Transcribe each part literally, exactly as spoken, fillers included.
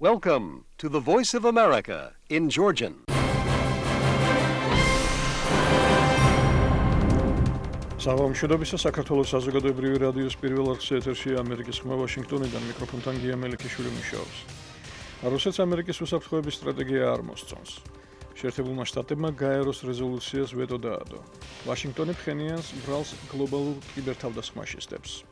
Welcome to the Voice of America in Georgian. Საღამოშობისა საქართველოს საზოგადოებრივი რადიოს პირველ არხზე ეთერშია ამერიკის ხმა ვაშინგტონიდან მიკროფონთან გია მელიქიშვილი მუშაობს. რუსეთს ამერიკის უსაფრთხოების სტრატეგია არ მოსწონს. შეერთებულმა შტატებმა გაეროს რეზოლუციას ვეტო დაადო. ვაშინგტონი ფხენიანს ბრალს გლობალურ კიბერთავდასხმაში სდებს.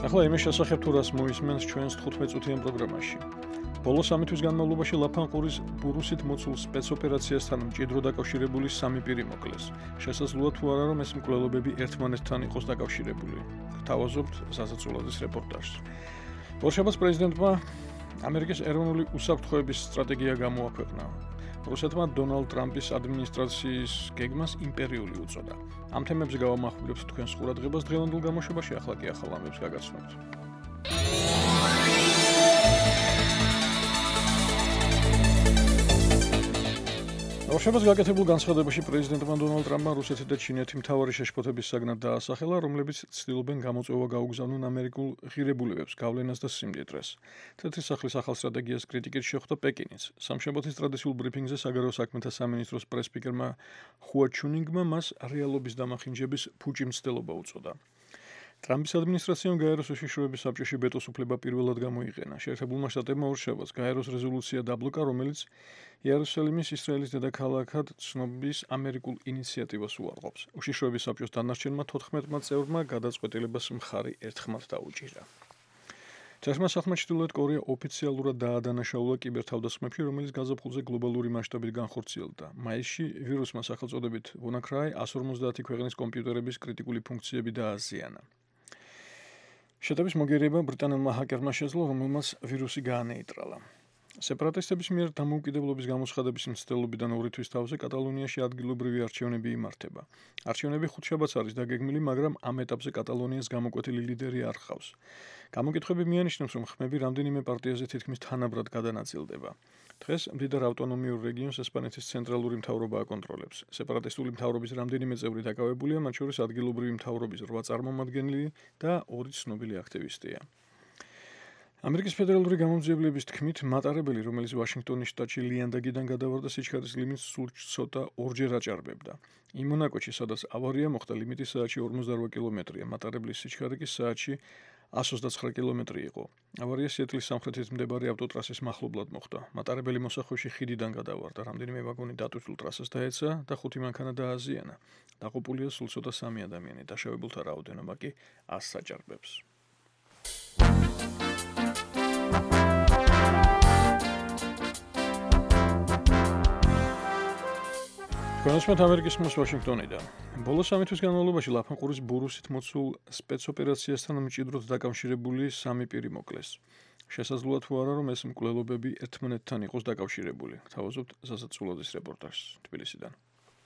ახლა იმის შესახებ თუ რას მოისმენს ჩვენს თხუთმეტ წუთიან პროგრამაში. ბოლო სამი თვის განმავლობაში ლაფანყურის ბურუსით მოცულ სპეცოპერაციასთან მჭიდრო დაკავშირებული სამი პირი მოკლეს. შესაძლოა თუ არა რომ ეს მკვლელობები ერთმანეთთან იყოს დაკავშირებული. გთავაზობთ ზაზაწულაძის რეპორტაჟს. ორშაბათს პრეზიდენტმა ამერიკის ეროვნული უსაფრთხოების სტრატეგია გამოაქვეყნა. რუსეთმა დონალდ ტრამპის ადმინისტრაციის გეგმას იმპერიული უწოდა. ამ თემებზე გავამახვილებთ თქვენს ყურადღებას დღევანდელ გამოშვებაში, ახლა კი ახალ ამბებს გაგაცნობთ. ორშაბათს გაკეთებულ განცხადებაში პრეზიდენტმა დონალდ ტრამპმა რუსეთი და ჩინეთი მთავარი შეშფოთების საგნად დაასახელა, რომლებიც ცდილობენ გამოწვევა გაუგზავნონ ამერიკულ ღირებულებებს, გავლენას და სიმდიდრეს. თეთრი სახლის ახალ სტრატეგიას კრიტიკით შეხვდა პეკინიც. სამშაბათის ტრადიციულ ბრიფინგზე საგარეო საქმეთა სამინისტროს პრეს-სპიკერმა ხუა ჩუნინგმა მას რეალობის დამახინჯების ფუჭი მცდელობა უწოდა. ტრამპის ადმინისტრაციამ გაეროს უშიშროების საბჭოში ვეტოს უფლება პირველად გამოიყენა. შეერთებულმა შტატებმა ორშაბათს გაეროს რეზოლუცია დაბლოკა, რომელიც იერუსალიმის ისრაელის დედაქალაქად ცნობის ამერიკულ ინიციატივას უარყოფს. უშიშროების საბჭოს დანარჩენმა თოთხმეტმა წევრმა გადაწყვეტილებას მხარი ერთხმად დაუჭირა. ჯერმა საქმე ჩრდილოეთ კორეა ოფიციალურად დაადანაშაულა კიბერთავდასხმებში, რომელიც გაზაფხულზე გლობალური მასშტაბით განხორციელდა. მაისში ვირუსმა სახელწოდებით WannaCry one fifty ქვეყნის კომპიუტერების კრიტიკული ფუნქციები დააზიანა. შეტევის მოგერიება ბრიტანელმა ჰაკერმა შეძლო, რომელმაც ვირუსი გაანეიტრალა. სეპარატისტების მიერ დამოუკიდებლობის გამოცხადების მცდელობიდან ორი თვის თავზე კატალონიაში ადგილობრივი არჩევნები იმართება. არჩევნები ხუთშაბათს არის დაგეგმილი, მაგრამ ამ ეტაპზე კატალონიას გამოკვეთილი ლიდერი არ ჰყავს. გამოკითხვები მიანიშნებს, რომ ხმები რამდენიმე პარტიაზე თითქმის თანაბრად გადანაწილდება. დღეს მდიდარ ავტონომიურ რეგიონს ესპანეთის ცენტრალური მთავრობა აკონტროლებს. სეპარატისტული მთავრობის რამდენიმე წევრი დაკავებულია, მათ შორის ადგილობრივი მთავრობის რვა წარმომადგენელი და ორი ცნობილი აქტივისტია. ამერიკის ფედერალური გამომძიებლების თქმით, მატარებელი, რომელიც ვაშინგტონის შტატში ლიანდაგიდან გადავარდა, სიჩქარის ლიმიტს სულ ცოტა ორჯერ აჭარბებდა. იმ მონაკოჩი, სადაც ავარია მოხდა, ლიმიტი საათში ორმოცდარვა კილომეტრია, მატარებლის სიჩქარე კი საათში one twenty-nine კილომეტრი იყო. ავარია სიეტლის სამხრეთით მდებარე ავტოტრასის მახლობლად მოხდა. მატარებელი მოსახვეში ხიდიდან გადავარდა, რამდენიმე ვაგონი დატვირთულ ტრასას დაეცა და ხუთი მანქანა დააზიანა. დაყოფილია სულ ცოტა სამი ადამიანი, დაშავებულთა რაოდენობა კი one hundred აჭარბებს. ჩვენსმეთ ამერიკის ხმას ვაშინგტონიდან. ბოლო სამი თვის განმავლობაში ლაფანყურის ბურუსით მოცულ სპეცოპერაციასთან მჭიდროდ დაკავშირებული სამი პირი მოკლეს. შესაძლოა თუ არა რომ ეს მკვლელობები ერთმანეთთან იყოს დაკავშირებული. გთავაზობთ ზაზაწულაძის რეპორტაჟს თბილისიდან.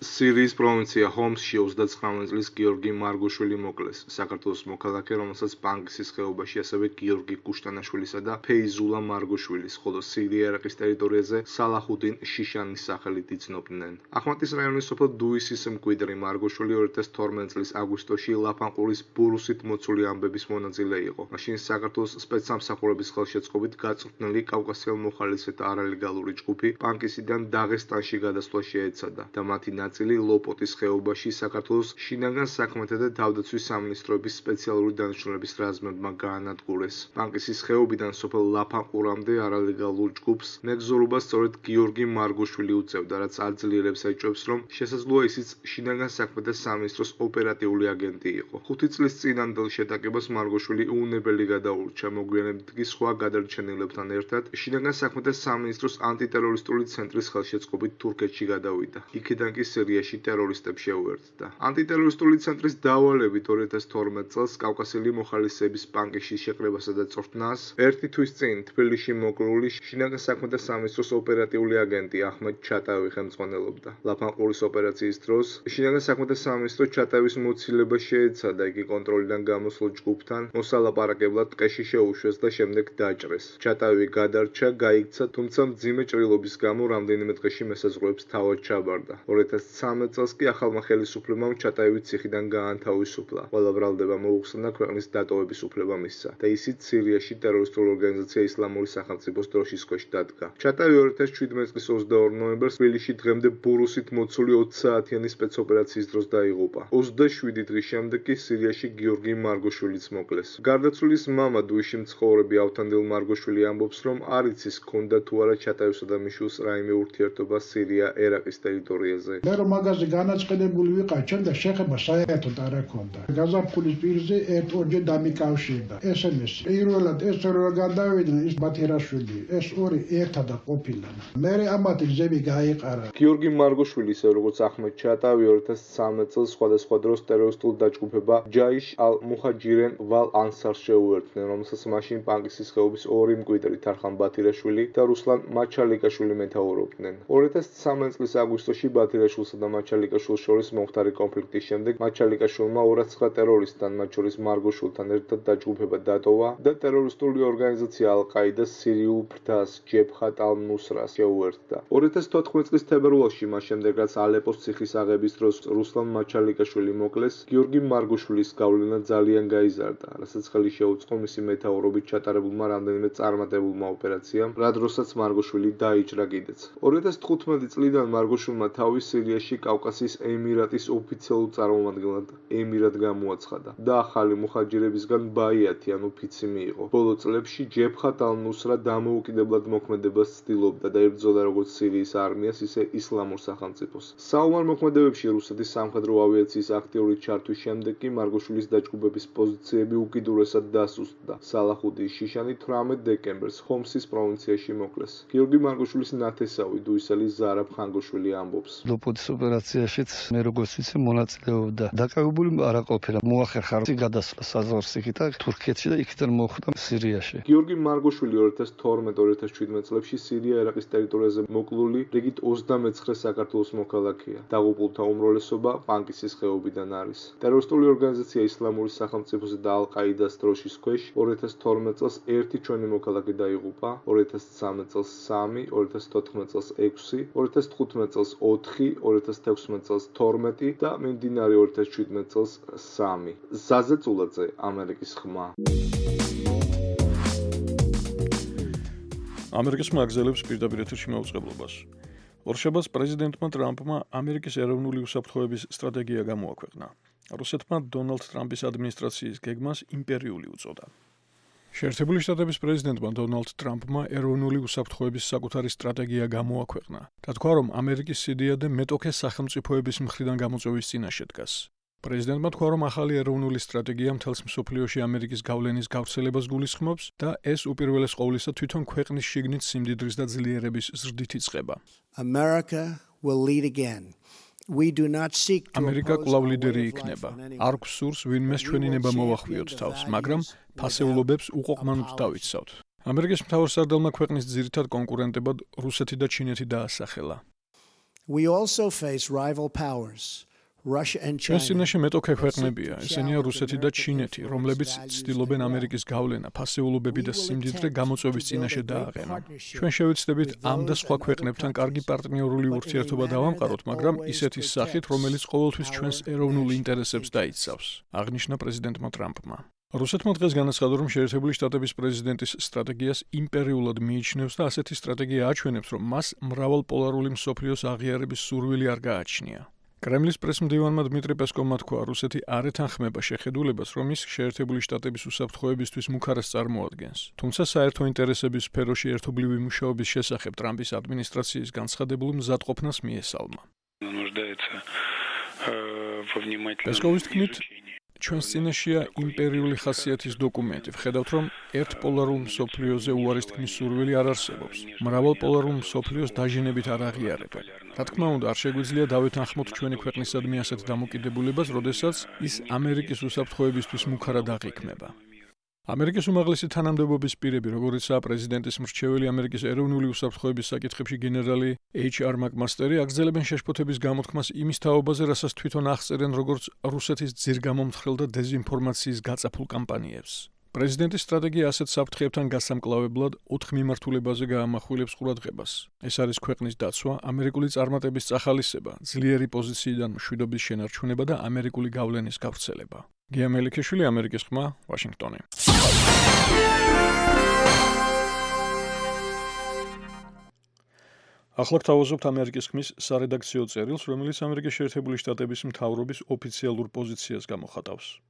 სირიის პროვინცია ჰომსში ოცდათხმეტ წლის გიორგი მარგოშვილი მოკლეს. საქართველოს მოქალაქე, რომელსაც პანკისის ხეობაში ასევე გიორგი კუშტანაშვილისა და ფეიზულა მარგოშვილის, ხოლო სირია-ერაყის ტერიტორიაზე სალაჰუდინ შიშანის სახელით იცნობდნენ. ახმატის რაიონის სოფელ დუისის მკვიდრი მარგოშვილი ორი ათას თორმეტ წლის აგვისტოში ლაფანყურის ბურუსით მოცული ამბების მონაწილე იყო. მაშინ საქართველოს სპეცსამსახურების ხელშეწყობით გაწვრთნილი კავკასიელ-მოხალისეთა არალეგალური ჯგუფი პანკისიდან დაღესტანში გადასვლა შეეცადა და მათი ნაწილი ლოპოტის ხეობაში საქართველოს შინაგან საქმეთა და თავდაცვის სამინისტროების სპეციალური დანიშნულების რაზმებმა გაანადგურეს. პანკისის ხეობიდან სოფელ ლაფანყურამდე არალეგალურ ჯგუფს მეგზურობა სწორედ გიორგი მარგოშვილი უწევდა, რაც აძლიერებს ეჭვებს, რომ შესაძლოა ისიც შინაგან საქმეთა სამინისტროს ოპერატიული აგენტი იყო. ხუთი წლის წინანდელ შეტაკებას მარგოშვილი უუნებელი გადაურჩა, მოგვიანებით კი სხვა გადარჩენილებთან ერთად შინაგან საქმეთა სამინისტროს ანტიტერორისტული ცენტრის ხელშეწყობით თურქეთში გადავიდა. იქიდან კი სირიაში ტერორისტებს შეუერთდა. ანტიტერორისტული ცენტრის დავალებით ორი ათას თორმეტ წელს კავკასიელი მოხალისეების პანკისში შეკრებასა და წვრთნას ერთი თვის წინ თბილისში მოკლული შინაგან საქმეთა სამინისტროს ოპერატიული აგენტი აჰმედ ჩატაევი ხელმძღვანელობდა. ლაფანყურის ოპერაციის დროს შინაგან საქმეთა სამინისტრო ჩატაევის მოცილება შეეცადა, იგი კონტროლიდან გამოსულ ჯგუფთან მოსალაპარაკებლად ტყეში შეუშვეს და შემდეგ დაჭრეს. ჩატაევი გადარჩა, გაიქცა, თუმცა მძიმე ჭრილობის გამო რამდენიმე დღეში მესაზღვრეებს თავად ჩაბარდა. ორი ათას ცხრამეტ წელს კი ახალმა ხელისუფლებამ ჩატაევის ციხიდან გაანთავისუფლა. ყველა ბრალდება მოუხსნა და ქვეყნის დატოვების უფლება მისცა და ისიც სირიაში ტერორისტულ ორგანიზაცია ისლამური სახელმწიფოს დროშის ქვეშ დადგა. ჩატავი ორი ათას შვიდმეტ წლის ოცდაორ ნოემბერს თბილისში დღემდე ბურუსით მოცული ოცი საათიანი სპეცოპერაციის დროს დაიღუპა. ოცდაშვიდი დღის შემდეგ კი სირიაში გიორგი მარგოშვილიც მოკლეს. გარდაცვლილის მამა დუიში მცხოვრები ავთანდილ მარგოშვილი ამბობს, რომ არ იცის ჰქონდა თუ არა ჩატავისა და მიშვილს რაიმე ურთიერთობა სირია-ერაყის ტერიტორიაზე. მე რომ მაგაზე განაწყენებული ვიყავ, ჩემდა შეხება საერთოდ არ აქონდა. გაზაფხულის პირზე ერთ-ორჯერ დამიკავშირდა. ეს ემეს პირველად ეს რო გადავიდნენ ის ბათერაშვილი, ეს ორი ერთად ყოფილან. მე ამათი გზები გაიყარა. გიორგი მარგოშვილი, ისე როგორც ახმედ ჩატავი ორი ათას ცხრამეტ წელს სხვადასხვა დროს ტერორისტულ დაჯგუფება ჯაიშ ალ-მუჰაჯირენ ვალ ანსარს შეუერთდნენ, რომელსაც მაშინ პანკისის ხეობის ორი მკვიდრი თარხან ბათირაშვილი და რუსლან მაჩალიკაშვილი მეთაურობდნენ. ორი ათას ცხრამეტ წლის აგვისტოში ბათირაშვილსა და მაჩალიკაშვილს შორის მომხდარი კონფლიქტის შემდეგ მაჩალიკაშვილმა ორასცხრა ტერორისტთან, მათ შორის მარგოშვილთან ერთად დაჯგუფება დატოვა და ტერორისტული ორგანიზაცია ალ-ყაიდას სირიულ ფრთას ჯებჰათ ალ-ნუსრას შეუერთდა. ორი ათას თოთხმეტ წლის თებერვალში, მას შემდეგ რაც ალეპოს ციხის აღების დროს რუსლან მაჩალიკაშვილი მოკლეს, გიორგი მარგოშვილის გავლენა ძალიან გაიზარდა, რასაც ხელი შეუწყო მისი მეთაურობით ჩატარებულმა რამდენიმე წარმატებულმა ოპერაციამ, რა დროსაც მარგოშვილი დაიჭრა კიდეც. ორი ათას თხუთმეტი წლიდან მარგოშვილმა თავი სირიაში კავკასიის ემირატის ოფიციალურ წარმომადგენლად ემირად გამოაცხადა და ახალი მუჰაჯირებისგან ბაიათი ანუ ფიცი მიიღო. ბოლო წლებში ჯებჰათ ალ-ნუსრა დამოუკიდებლად მოქმედებას ცდილობდა და ებრძოდა როგორც სირიის არმიას, ისე ისლამურ სახელმწიფოს. საომარ მოქმედებებში რუსეთის სამხედრო ავიაციის აქტიური ჩართვის შემდეგ კი მარგოშვილის დაჯგუფების პოზიციები უკიდურესად დასუსტდა. სალაჰუდინ შიშანი თვრამეტ დეკემბერს ხომსის პროვინციაში მოკლეს. გიორგი მარგოშვილის ნათესავი დუისელი ზარაბ ხანგოშვილი ამბობს. ლოპოდის ოპერაციაშიც მე როგორც ვიცი მონაწილეობდა. დაკავებული არ ყოფილა. მოახერხა გადასვლა საზღვარსიქით და თურქეთში და იქიდან მოხვდა სირიაში. გიორგი მარგოშვილი ორი ათას თორმეტ ორი ათას შვიდმეტ წლებში სირია-ერაყის ტერიტორიაზე მოკლული რიგით ოცდამეცხრე საქართველოს მოქალაქეა. დაღუპულთა უმრავლესობა პანკისის ხეობიდან არის. ტერორისტული ორგანიზაცია ისლამური სახელმწიფოსა და ალ-ყაიდას დროშის ქვეშ ორი ათას თორმეტ წელს ერთი ჩვენი მოქალაქე დაიღუპა, ორი ათას ცხრამეტ წელს სამი, ორი ათას თოთხმეტ წელს ექვსი, ორი ათას თხუთმეტ წელს ოთხი, ორი ათას თექვსმეტ წელს თორმეტი და მიმდინარე ორი ათას შვიდმეტ წელს სამი. ზაზე წულაძე, ამერიკის ხმა. ამერიკის მაგზელებს პირდაპირ ეთერში მაუწყებლობას. ორშაბათს პრეზიდენტმა ტრამპმა ამერიკის ეროვნული უსაფრთხოების სტრატეგია გამოაქვეყნა. რუსეთმა დონალდ ტრამპის ადმინისტრაციის გეგმას იმპერიული უწოდა. შეერთებული შტატების პრეზიდენტმა დონალდ ტრამპმა ეროვნული უსაფრთხოების საკუთარი სტრატეგია გამოაქვეყნა. და თქვა, რომ ამერიკის სიდიადე მეტოქე სახელმწიფოების მხრიდან გამოწვევის წინაშე დგას. პრეზიდენტმა თქვა, რომ ახალი ეროვნული სტრატეგია მთელს მსოფლიოში ამერიკის გავლენის გავრცელებას გულისხმობს და ეს უპირველეს ყოვლისა თვითონ ქვეყნის შიგნით სიმდიდრის და ძლიერების ზრდით იწყება. America will lead again. We do not seek to ამერიკა კვლავ ლიდერი იქნება. არ გვსურს ვინმეს ჩვენი ნება მოვახვიოთ თავს, მაგრამ ფასეულობებს უყოყმანოდ დავიცავთ. ამერიკის მთავარსარდალმა ქვეყნის ძირითად კონკურენტებად რუსეთი და ჩინეთი დაასახელა. We also face rival powers. ჩვენს წინაშე მეტოქე ქვეყნებია, ესენია რუსეთი და ჩინეთი, რომლებიც ცდილობენ ამერიკის გავლენა, ფასეულობები და სიმდიდრე გამოწვევის წინაშე დააყენონ. ჩვენ შევეცდებით ამ და სხვა ქვეყნებთან კარგი პარტნიორული ურთიერთობა დავამყაროთ, მაგრამ ისეთის სახით, რომელიც ყოველთვის ჩვენს ეროვნულ ინტერესებს დაიცავს, აღნიშნა პრეზიდენტმა ტრამპმა. რუსეთმა დღეს განაცხადა, რომ შეერთებული შტატების პრეზიდენტის სტრატეგიას იმპერიულად მიიჩნევს და ასეთი სტრატეგია აჩვენებს, რომ მას მრავალპოლარული მსოფლიოს აღიარების სურვილი არ გააჩნია. კრემლის პრესმდივანმა დმიტრი პესკოვმა თქვა, რუსეთი არ ეთანხმება შეხედულებას, რომ ის შეერთებული შტატების უსაფრთხოებისთვის მუქარას წარმოადგენს. თუმცა საერთო ინტერესების სფეროში ერთობლივი მუშაობის შესახებ ტრამპის ადმინისტრაციის განცხადებულ მზადყოფნას მიესალმა. პესკოვის თქმით, ჩვენს წინაშეა იმპერიული ხასიათის დოკუმენტი. ვხედავთ, რომ ერთპოლარულ მსოფლიოზე უარის თქმის სურვილი არ არსებობს. მრავალპოლარულ მსოფლიოს დაჟინებით არ აღიარებენ. რა თქმა უნდა, არ შეგვიძლია დავეთანხმოთ ჩვენი ქვეყნისადმი ასეთ დამოკიდებულებას, როდესაც ის ამერიკის უსაფრთხოებისთვის მუქარად აღიქმება. ამერიკის უმაღლესი თანამდებობის პირები, როგორიცაა პრეზიდენტის მრჩეველი ამერიკის ეროვნული უსაფრთხოების საკითხებში გენერალი ეიჩ არ მაკმასტერი, აგრძელებენ შეშფოთების გამოთქმას იმის თაობაზე, რასაც თვითონ აღწერენ როგორც რუსეთის ძირგამომთხრელ და დეზინფორმაციის გაწაფულ კამპანიებს. პრეზიდენტის სტრატეგია ასეთ საფრთხეებთან გასამკლავებლად ოთხ მიმართულებაზე გაამახვილებს ყურადღებას. ეს არის ქვეყნის დაცვა, ამერიკული წარმატების წახალისება, ძლიერი პოზიციიდან მშვიდობის შენარჩუნება და ამერიკული გავლენის გავრცელება. გია მელიქიშვილი, ამერიკის ხმა, ვაშინგტონი. ახლა გთავაზობთ ამერიკის ხმის სარედაქციო წერილს, რომელიც ამერიკის შეერთებული შტატების მთავრობის ოფიციალურ პოზიციას გამოხატავს.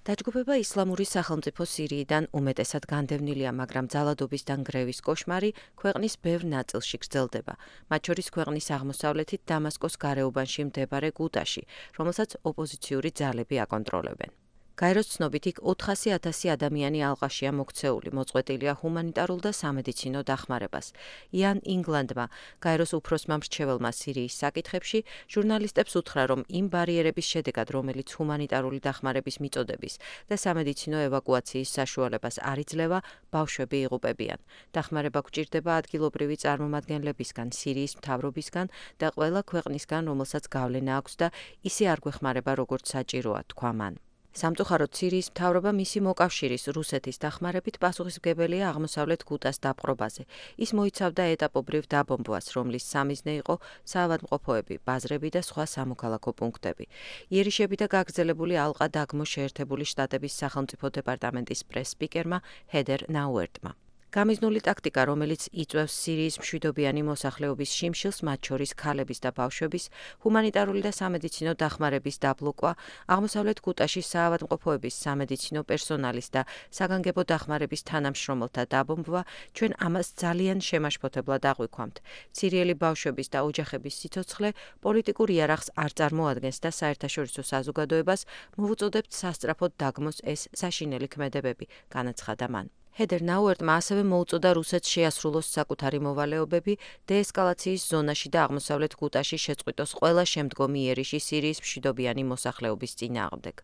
დაჯგუფება ისლამური სახელმწიფო სირიიდან უმეტესად განდევნილია, მაგრამ ძალადობის და ნგრევის კოშმარი ქვეყნის ბევრ ნაწილში გრძელდება, მათ შორის ქვეყნის აღმოსავლეთით დამასკოს გარეუბანში მდებარე გუტაში, რომელსაც ოპოზიციური ძალები აკონტროლებენ. გაეროს ცნობით იქ ოთხასი ათასი ადამიანი ალყაშია მოქცეული, მოწყვეტილია ჰუმანიტარულ და სამედიცინო დახმარებას. იან ინგლანდმა, გაეროს უფროსმა მრჩეველმა სირიის საკითხებში, ჟურნალისტებს უთხრა, რომ იმ ბარიერების შედეგად, რომელიც ჰუმანიტარული დახმარების მიწოდების და სამედიცინო ევაკუაციის საშუალებას არ იძლევა, ბავშვები იღუპებიან. დახმარება გვჭირდება ადგილობრივი წარმომადგენლებისგან, სირიის მთავრობისგან და ყველა ქვეყნისგან, რომელსაც გავლენა აქვს და ისე არ გვეხმარება, როგორც საჭიროა, თქვა მან. სამწუხაროდ სირიის მთავრობა მისი მოკავშირის რუსეთის დახმარებით პასუხისმგებელია აღმოსავლეთ გუტას დაპყრობაზე. ის მოიცავდა ეტაპობრივ დაბომბვას, რომლის სამიზნე იყო საავადმყოფოები, ბაზრები და სხვა სამოქალაქო პუნქტები. იერიშები და გაგრძელებული ალყა დაგმო შეერთებული შტატების სახელმწიფო დეპარტამენტის პრეს-სპიკერმა ჰედერ ნაუერტმა. გამიზნული ტაქტიკა, რომელიც იწვევს სირიის მშვიდობიანი მოსახლეობის შიმშილს, მათ შორის ქალების და ბავშვების, ჰუმანიტარული და სამედიცინო დახმარების დაბლოკვა, აღმოსავლეთ გუტაში საავადმყოფოების, სამედიცინო პერსონალის და საგანგებო დახმარების თანამშრომელთა დაბომბვა, ჩვენ ამას ძალიან შემაშფოთებლად აღვიქვამთ. სირიელი ბავშვების და ოჯახების სიცოცხლე პოლიტიკურ იარაღს არ წარმოადგენს და საერთაშორისო საზოგადოებას მოვუწოდებთ სასწრაფოდ დაგმოს ეს საშინელი ქმედებები, განაცხადა მან. ჰედერ ნაუერტმა ასევე მოუწოდა რუსეთს შეასრულოს საკუთარი მოვალეობები დეესკალაციის ზონაში და აღმოსავლეთ გუტაში შეწყვიტოს ყველა შემდგომი იერიში სირიის მშვიდობიანი მოსახლეობის წინააღმდეგ.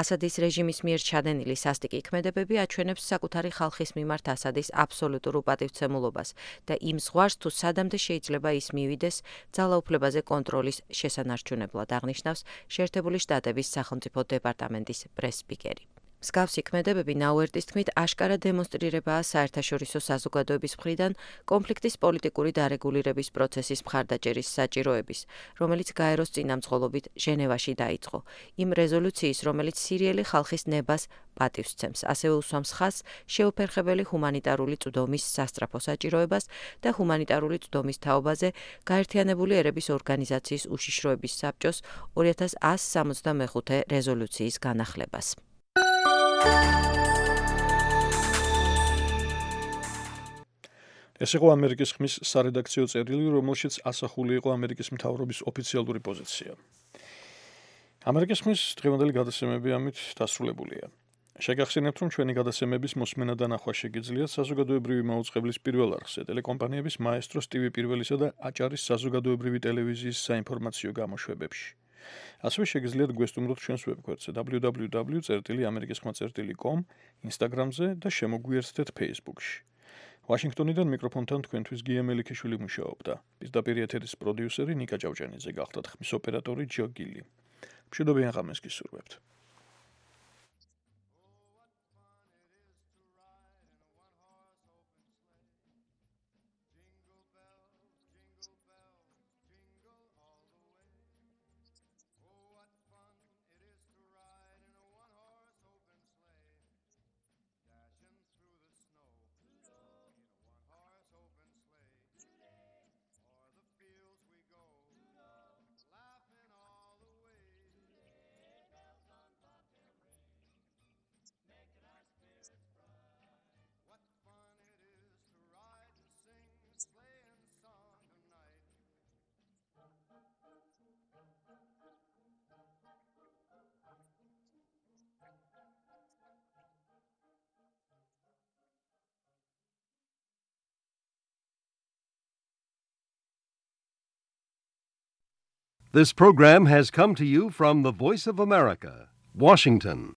ასადის რეჟიმის მიერ ჩადენილი სასტიკი ქმედებები აჩვენებს საკუთარი ხალხის მიმართ ასადის აბსოლუტურ უპატივცემულობას და იმ ზღვარს, თუ სადამდე შეიძლება ის მივიდეს ძალაუფლებაზე კონტროლის შესანარჩუნებლად, აღნიშნავს შეერთებული შტატების სახელმწიფო დეპარტამენტის პრეს-სპიკერი. მსგავსი ქმედებები ნაუერტის თქმით აშკარა დემონსტრირებაა საერთაშორისო საზოგადოების მხრიდან კონფლიქტის პოლიტიკური დარეგულირების პროცესის მხარდაჭერის საჭიროების, რომელიც გაეროს წინამძღოლობით ჟენევაში დაიწყო. იმ რეზოლუციის, რომელიც სირიელი ხალხის ნებას პატივს სცემს, ასევე უსვამს ხაზს შეუფერხებელი ჰუმანიტარული წვდომის სასწრაფო საჭიროებას და ჰუმანიტარული წვდომის თაობაზე გაერთიანებული ერების ორგანიზაციის უშიშროების საბჭოს ორი ათას εκατო სამოცდამეხუთე რეზოლუციის განახლებას. ეს იყო ამერიკის ხმის სარედაქციო წერილი, რომელშიც ასახული იყო ამერიკის მთავრობის ოფიციალური პოზიცია. ამერიკის ხმის დღევანდელი გადაცემები ამით დასრულებულია. შეგახსენებთ, რომ ჩვენი გადაცემების მოსმენა და ნახვა შეგიძლიათ საზოგადოებრივი მაუწყებლის პირველ არხზე, ტელეკომპანიების მაესტროს ტივი პირველისა და აჭარის საზოგადოებრივი ტელევიზიის საინფორმაციო გამოშვებებში. ასევე შეგიძლიათ გვესტუმროთ ჩვენს ვებგვერდზე დაბლიუ დაბლიუ დაბლიუ წერტილი ამერიკის ხმა წერტილი კომ, ინსტაგრამზე და შემოგვიერთდეთ ფეისბუქში. ვაშინგტონიდან მიკროფონთან თქვენთვის გია მელიქიშვილი მუშაობდა. პირდაპირ ეთერის პროდიუსერი ნიკა ჭავჭანიძე გახლდათ ხმის ოპერატორი ჯო გილი. მშვიდობიან ღამეს გისურვებთ. This program has come to you from the Voice of America, Washington.